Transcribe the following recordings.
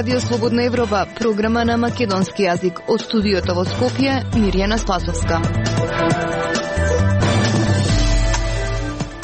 Радио Слободна Европа, програма на македонски јазик. Од студиото во Скопје, Мирјана Спасовска.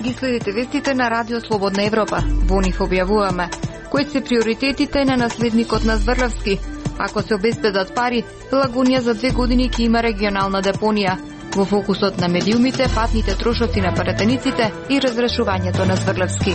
Ги следите вестите на Радио Слободна Европа. Во нив објавуваме кои се приоритетите на наследникот на Зврлевски. Ако се обезбедат пари, Пелагонија за 2 години ќе има регионална депонија. Во фокусот на медиумите, патните трошоци на пратениците и разрешувањето на Зврлевски.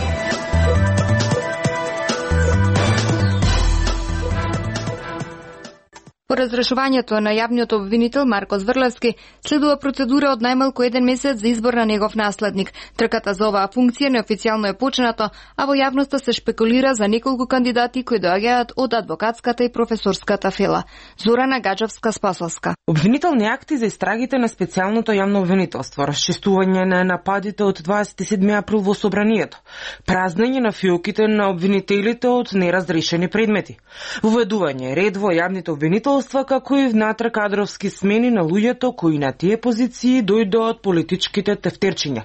По разрешувањето на јавниот обвинител Марко Зврлевски следува процедура од најмалку 1 месец за избор на негов наследник. Трката за оваа функција неофицијално е почнато, а во јавноста се шпекулира за неколку кандидати кои доаѓаат од адвокатската и професорската фела. Зорана Гаджевска-Спасовска. Обвинителни акти за истрагите на специјалното јавно обвинителство, расчистување на нападите од 27 април во собранието, празнење на фиоките на обвинителите од неразрешени предмети, воведување ред во јавните обвинителства, како и внатре кадровски смени на луѓето кои на тие позиции дојдоа од политичките тефтерчиња.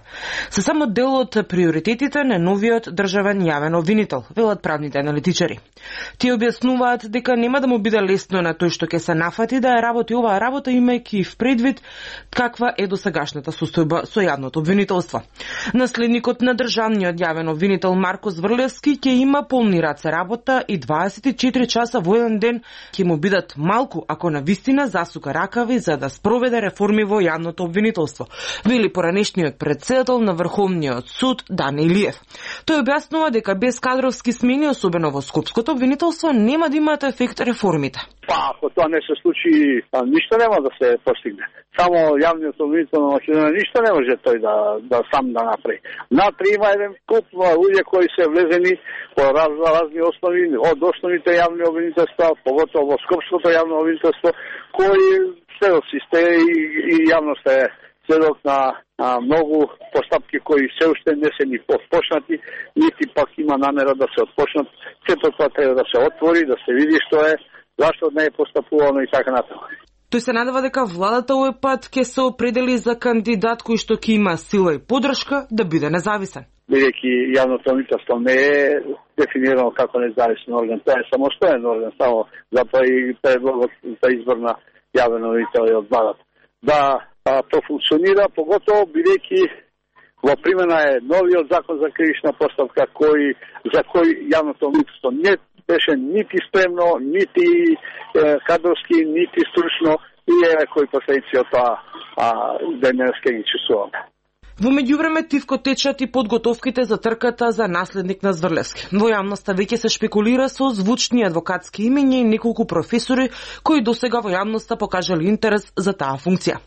Се само дел од приоритетите на новиот државен јавен обвинител, велат правните аналитичари. Тие објаснуваат дека нема да му биде лесно на тој што ќе се нафати да ја работи оваа работа, имајќи в предвид каква е досегашната состојба со јавното обвинителство. Наследникот на државниот јавен обвинител Марко Зврлевски ќе има полни раце работа и 24 часа во еден ден ќе му бидат малку ако на вистина засука ракави за да спроведе реформи во јавното обвинителство, вели поранешниот председател на Врховниот суд Дани Илиев. Тој објаснува дека без кадровски смени, особено во скопското обвинителство, нема да имаат ефект реформите. Ако тоа не се случи, ништо нема да се постигне. Само јавниот обвинител на Македонија ништо не може тој да сам да направи. Натре има еден куп луѓе кои се влезени по разни основи, од основните јавни обвинителства, поготово во скопското јавно обвинителство, кои следоци сте и јавноста е следок на многу постапки кои се уште не се ни почнати, нити пак има намера да се отпочнат. Сето тоа треба да се отвори, да се види што е, зашто не е постапувано и така натаму. Тој се надева дека владата овој пат ќе се определи за кандидат кој што ќе има сила и поддршка да биде независен. Бидејќи јавното обвинителство не е дефинирано како независен орган, тоа е самостоен орган, само затоа и предлогот за избор на јавен обвинител е од владата. Да профункционира, поготово бидејќи во примена е новиот закон за кривична постапка за кој јавното обвинителство не беше нити спремно, нити кадровски, нити стручно и е кои последици од тоа денеска ги чувствуваме. Во меѓувреме тивко течат и подготовките за трката за наследник на Зврлевски. Во јавноста веќе се шпекулира со звучни адвокатски имиња и неколку професори кои досега во јавноста покажали интерес за таа функција.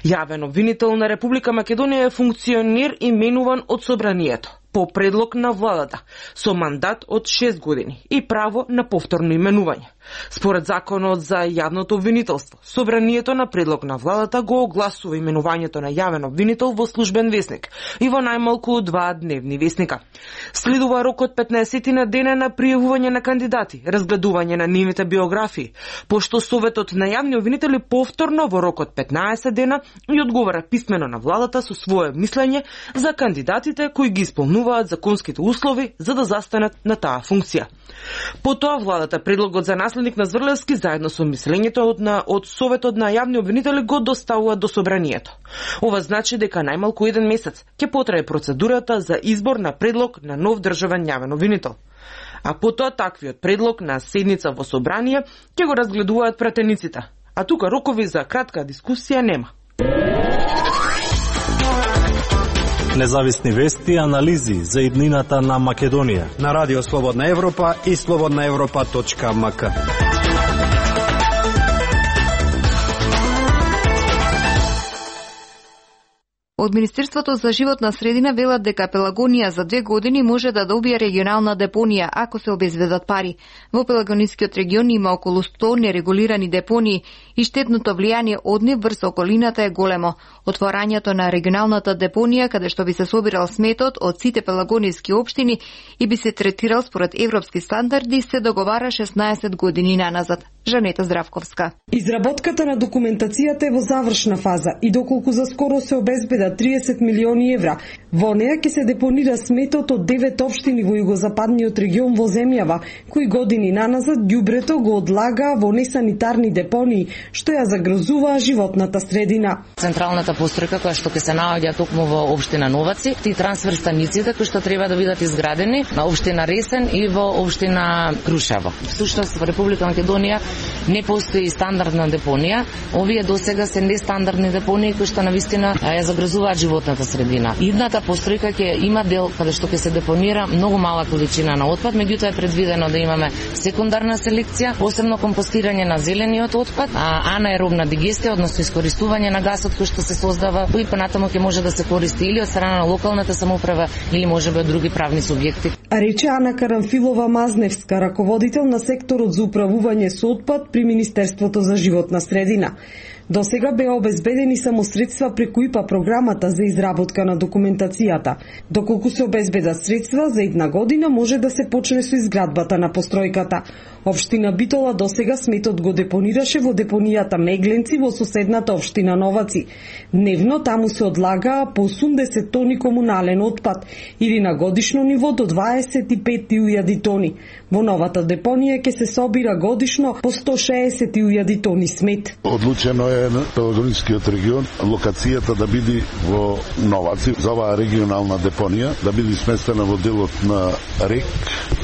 Јавен обвинител на Република Македонија е функционер именуван од собранието по предлог на владата, со мандат од 6 години и право на повторно именување. Според законот за јавното обвинителство, собранието на предлог на владата го огласува именувањето на јавен обвинител во службен весник и во најмалку 2 дневни весника. Следува рок од 15 на дена на пријавување на кандидати, разгледување на нивните биографии, пошто Советот на јавни обвинители повторно во рок од 15 дена и одговара писмено на владата со свое мислење за кандидатите кои ги исполнуваат законските услови за да застанат на таа функција. Потоа владата предлогот за наследник на Зврлевски заедно со мислењето од Советот на јавни обвинители го доставува до собранието. Ова значи дека најмалку 1 месец ќе потрае процедурата за избор на предлог на нов државен јавен обвинител. А потоа таквиот предлог на седница во собрание ќе го разгледуваат пратениците. А тука рокови за кратка дискусија нема. Независни вести и анализи за иднината на Македонија на Радио Слободна Европа и slobodnaevropa.mk. Од Министерството за животна средина велат дека Пелагонија за 2 години може да добие регионална депонија ако се обезбедат пари. Во Пелагонискиот регион има околу 100 нерегулирани депонии и штетното влијание од нив врз околината е големо. Отворањето на регионалната депонија, каде што би се собирал сметот од сите пелагониски општини и би се третирал според европски стандарди, се договара 16 години наназад. Жанета Здравковска. Изработката на документацијата е во завршна фаза и доколку за скоро се обезбедат 30 милиони евра, во неа ќе се депонира сметот од 9 општини во југозападниот регион во земјава, кои години наназад ѓубрето го одлагаа во несанитарни депонии, што ја загрозуваа животната средина. Централната постројка која што ќе се наоѓа токму во општина Новаци, ти трансфер станиците кои што треба да бидат изградени на општина Ресен и во општина Крушево. Всушност во Република Македонија не постои стандардна депонија. Овие досега се нестандардни депонии кои што навистина ја загрозуваат животната средина. Идната постројка ќе има дел каде што ќе се депонира многу мала количина на отпад, меѓутоа е предвидено да имаме секундарна селекција, посебно компостирање на зелениот отпад, анаеробна дигестија, односно искористување на гасот кој што се создава и понатаму ќе може да се користи или од страна на локалната самоуправа или можеби од други правни субјекти. Рече Ана Карамфилова-Мазневска, раководител на секторот за управување со отпад при Министерството за животна средина. До сега беа обезбедени само средства преку ИПА програмата за изработка на документацијата. Доколку се обезбедат средства, за една година може да се почне со изградбата на постројката. Општина Битола досега сметот го депонираше во депонијата Мегленци во соседната општина Новаци. Дневно таму се одлагаа по 80 тони комунален отпад или на годишно ниво до 25.000 тони. Во новата депонија ќе се собира годишно по 160.000 тони смет. Одлучено е на Пелагонискиот регион локацијата да биде во Новаци, за оваа регионална депонија, да биде сместена во делот на РЕК.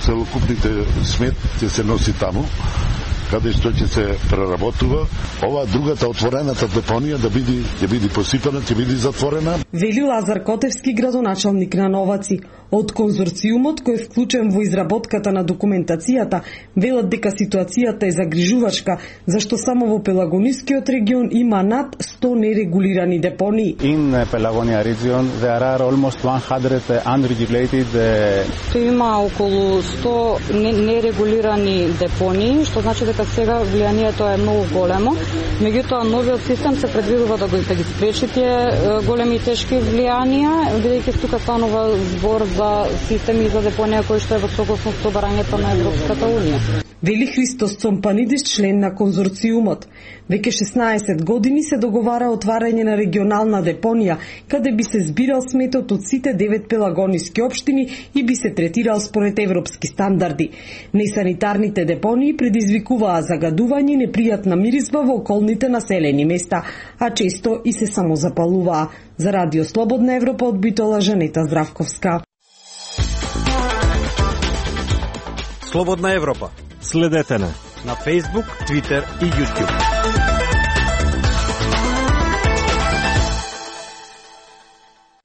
Целокупните смет ќе се носи таму, каде што ќе се преработува. Ова другата отворената депонија да биде посипана, ќе биде затворена. Вели Лазар Котевски, градоначалник на Новаци. Од конзорциумот кој е вклучен во изработката на документацијата, велат дека ситуацијата е загрижувачка, зашто само во Пелагонискиот регион има над 100 нерегулирани депонии. In Pelagonia region there are almost 100 unregulated. Има околу 100 нерегулирани депонии, што значи дека сега влијанието е многу големо. Меѓутоа новиот систем се предвидува да ги спречи тие големи и тешки влијанија, бидејќи тука станува збор за системи за депонија кои што е во согласност со барањето на Европската унија. Вели Христос Цомпанидис, член на конзорциумот. Веќе 16 години се договара отварање на регионална депонија, каде би се збирал сметот од сите 9 пелагониски општини и би се третирал според европски стандарди. Несанитарните депонии предизвикуваа загадување и непријатна миризба во околните населени места, а често и се самозапалуваа. За Радио Слободна Европа од Битола, Жанета Здравковска. Слободна Европа. Следете на Facebook, Twitter и YouTube.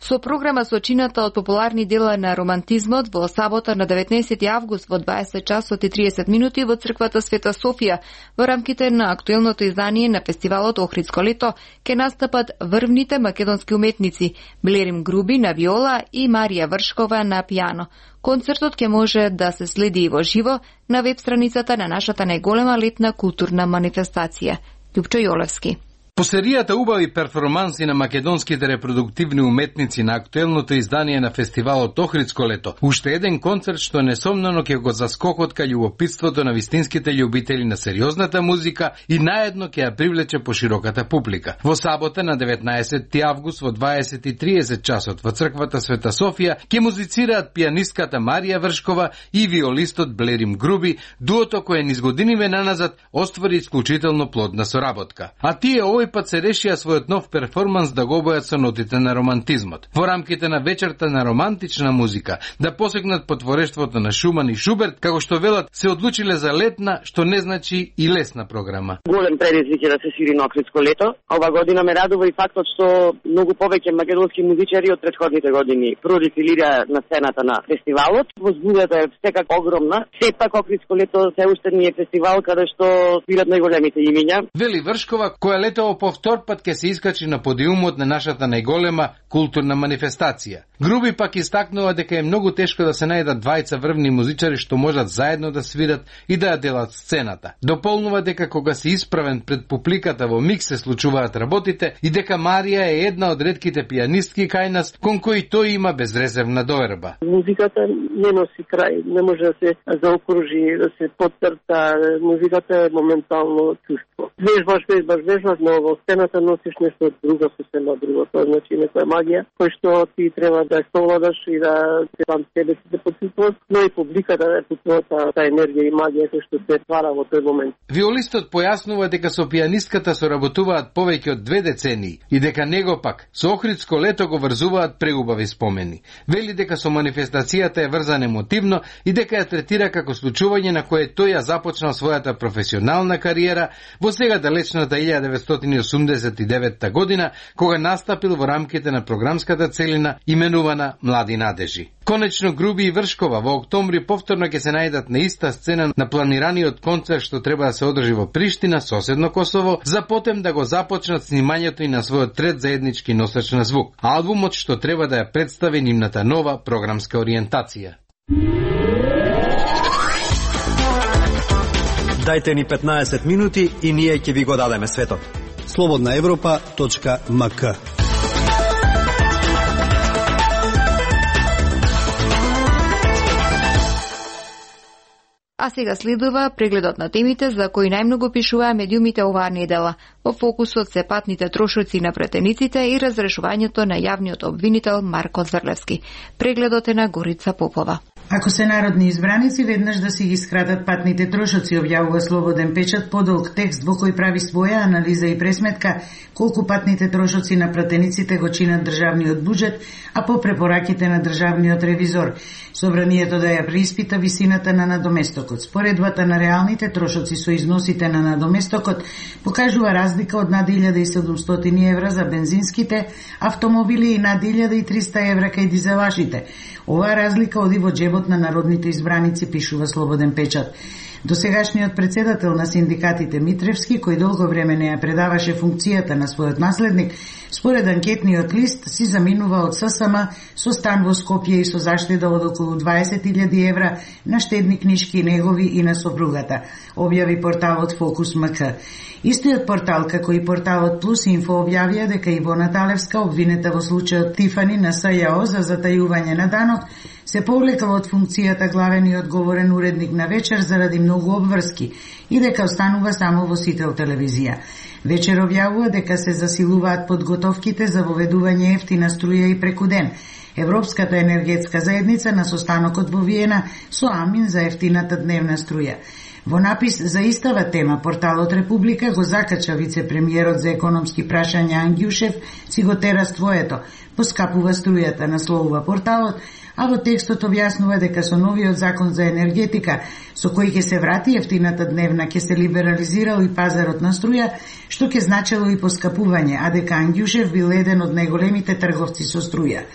Со програма сочината од популарни дела на романтизмот во сабота на 19 август во 20 часот и 30 минути во црквата Света Софија во рамките на актуелното издание на фестивалот Охридско лето ќе настапат врвните македонски уметници Блерим Груби на виола и Марија Вршкова на пијано. Концертот ќе може да се следи и во живо на веб страницата на нашата најголема летна културна манифестација. Љупчо Јолевски. По серијата убави перформанси на македонските репродуктивни уметници на актуелното издание на фестивалот Охридско лето, уште еден концерт што несомнено ќе го заскокот кај љубопитството на вистинските љубители на сериозната музика и наедно ќе ја привлече пошироката публика. Во сабота на 19 август во 20:30 часот во црквата Света Софија ќе музицираат пијанистката Марија Вршкова и виолистот Блерим Груби, дуото кое низ годиниве наназад оствари исклучително плодна соработка. А тие овој пат се решија својот нов перформанс да го обојат со нотите на романтизмот. Во рамките на вечерта на романтична музика да посегнат по творештвото на Шуман и Шуберт, како што велат, се одлучиле за летна, што не значи и лесна програма. Голем предизвик е да се свири на Охридско лето. Ова година ме радува и фактот што многу повеќе македонски музичари од претходните години продефилираа на сцената на фестивалот. Возбудата е секако огромна. Сепак Охридско лето се уште не е фестивал каде што свират најголемите имиња. Вели Вршкова, која летово по повтор пат ќе се искачи на подиумот на нашата најголема културна манифестација. Груби пак истакнува дека е многу тешко да се најдат двајца врвни музичари што можат заедно да свират и да ја делат сцената. Дополнува дека кога си исправен пред публиката во микс се случуваат работите и дека Марија е една од ретките пијанистки кај нас кон кои тој има безрезервна доверба. Музиката не носи крај, не може да се заокружи, да се потцрта. Музиката е моментално чувство. Вежбаш, но во сцената носиш нешто друго, сосема друго. Тоа значи некоја магија, кој што ти треба да совладаш и да се сам себе си да почувствуваш, но и публиката да почувствува таа енергија и магија кој што се твара во тој момент. Виолистот појаснува дека со пијанистката соработуваат повеќе од 2 децении и дека него пак со Охридско лето го врзуваат преубави спомени. Вели дека со манифестацијата е врзан емотивно и дека ја третира како случување на кое тој ја започнал својата професионална кариера во сега далечната 1989 година, кога настапил во рамките на програмската целина именувана Млади надежи. Конечно, Груби и Вршкова во октомври повторно ќе се најдат на иста сцена на планираниот концерт што треба да се одржи во Приштина, соседно Косово, за потем да го започнат снимањето и на својот трет заеднички носач на звук, албумот што треба да ја представи нивната нова програмска ориентација. Дајте ни 15 минути и ние ќе ви го дадеме светот. slobodnaevropa.mk. А сега следува прегледот на темите за кои најмногу пишуваа медиумите оваа недела. Во фокусот се патните трошоци на претениците и разрешувањето на јавниот обвинител Марко Зврлевски. Прегледот е на Горица Попова. Ако се народни избраници, веднаш да си ги скратат патните трошоци, објавува Слободен печат подолг текст во кој прави своја анализа и пресметка колку патните трошоци на пратениците го чинат државниот буџет, а по препораките на државниот ревизор. Собранието да ја преиспита висината на надоместокот. Споредбата на реалните трошоци со износите на надоместокот покажува разлика од над 1700 евра за бензинските автомобили и над 1300 евра кај дизелашите. Оваа разлика оди во джебот на народните избраници, пишува Слободен печат. Досегашниот председател на синдикатите Митревски, кој долго време не ја предаваше функцијата на својот наследник, според анкетниот лист си заминува од ССМ со стан во Скопје и со заштеда од околу 20.000 евра на штедни книшки негови и на сопругата, објави порталот Фокус МК. Истиот портал, како и порталот Плюс Инфо, објавија дека Ивона Талевска, обвинета во случајот Тифани на СЈО за затајување на данок, се повлекла од функцијата главен и одговорен уредник на Вечер заради многу обврски и дека останува само во Сител телевизија. Вечер објавува дека се засилуваат подготовките за воведување ефтина струја и преку ден. Европската енергетска заедница на состанокот во Виена со амин за ефтината дневна струја. Во напис за истава тема, порталот Република го закача вице-премиерот за економски прашања Ангјушев, си го тера ствоето, поскапува струјата, насловува порталот, а во текстот објаснува дека со новиот закон за енергетика, со кој ќе се врати ефтината дневна, ќе се либерализирал и пазарот на струја, што ќе значело и поскапување, а дека Ангјушев бил еден од најголемите трговци со струја.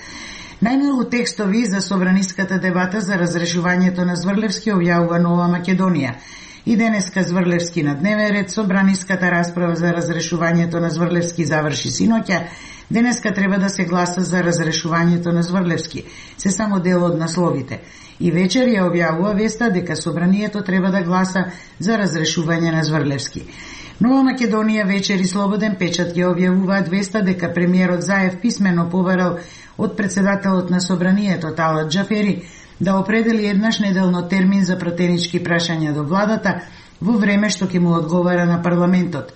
Најмногу текстови за собраниската дебата за разрешувањето на Зврлевски објавува Нова Македонија. И денеска Зврлевски на дневен ред, собраниската расправа за разрешувањето на Зврлевски заврши синоќа. Денеска треба да се гласа за разрешувањето на Зврлевски, се само дел од насловите. И вечер ја објавува веста дека собранието треба да гласа за разрешување на Зврлевски. Нова Македонија, Вечер и Слободен печат ја објавуваат веста дека премиерот Заев писмено побарал од председателот на собранието Талат Џафери да определи еднаш неделно термин за пратенички прашања до владата во време што ќе му одговара на парламентот.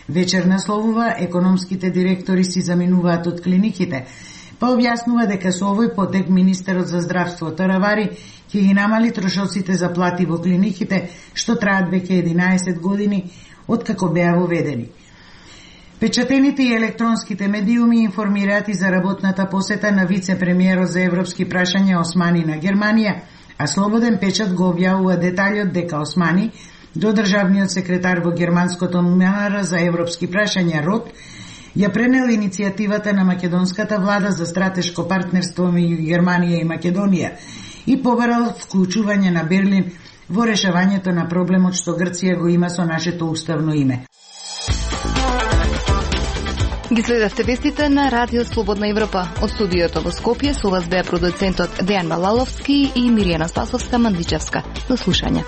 Вечер насловува економските директори си заминуваат од клиниките, па објаснува дека со овој потек министерот за здравство Таравари ќе ги намали трошоците за плати во клиниките што траат веќе 11 години откако беа воведени. Печатените и електронските медиуми информираат и за работната посета на вице-премиерот за европски прашања Османи на Германија, а Слободен печат го објавува деталјот дека Османи до државниот секретар во германското МНР за европски прашања РОТ ја пренел иницијативата на македонската влада за стратешко партнерство меѓу Германија и Македонија и побарал вклучување на Берлин во решавањето на проблемот што Грција го има со нашето уставно име. Ги следевте вестите на Радио Слободна Европа. Од студиото во Скопје со вас беа продуцентот Дејан Малаловски и Миријана Спасовска-Мандичевска. До слушање.